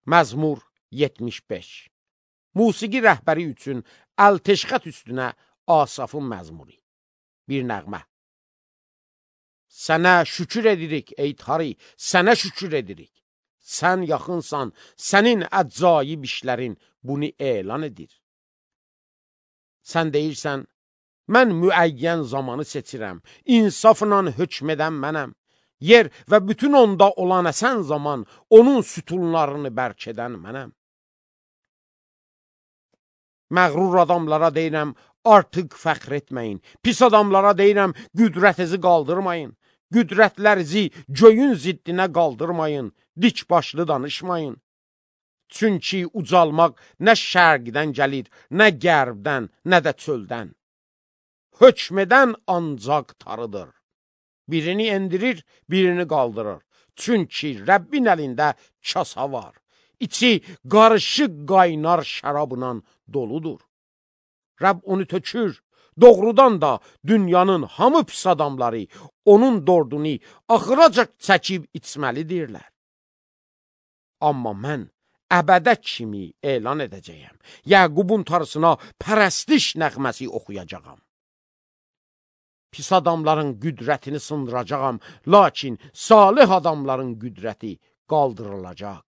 Məzmur 75. Musiqi rəhbəri üçün Əlteşxət üstünə Asafın məzmuri. Bir nəğmə. Sənə şükür edirik ey Tari, sənə şükür edirik. Sən yaxınsan, sənin əcaib işlərin bunu elan edir. Sən deyirsən, mən müəyyən zamanı seçirəm, insafla hökm edən mənəm. Yer və bütün onda olan əsən zaman onun sütunlarını bərk edən mənəm. Məğrur adamlara deyirəm, artıq fəxr etməyin. Pis adamlara deyirəm, qüdrətinizi qaldırmayın. Qüdrətlərinizi göyün ziddinə qaldırmayın. Dik başlı danışmayın. Çünki ucalmaq nə şərqdən gəlir, nə qərbdən, nə də çöldən. Hökm edən ancaq Tanrıdır. Birini endirir, birini qaldırır. Çünki Rəbbin əlində kasa var. İçi qarışıq qaynar şərabla doludur. Rəbb onu tökür. Doğrudan da dünyanın hamı pis adamları onun dordunu axıracaq çəkib içməlidirlər. Amma mən əbədə kimi elan edəcəyəm. Yəqubun Tanrısına pərəstiş nəğməsi oxuyacağam. Pis adamların qüdrətini sındıracağam, lakin salih adamların qüdrəti qaldırılacaq.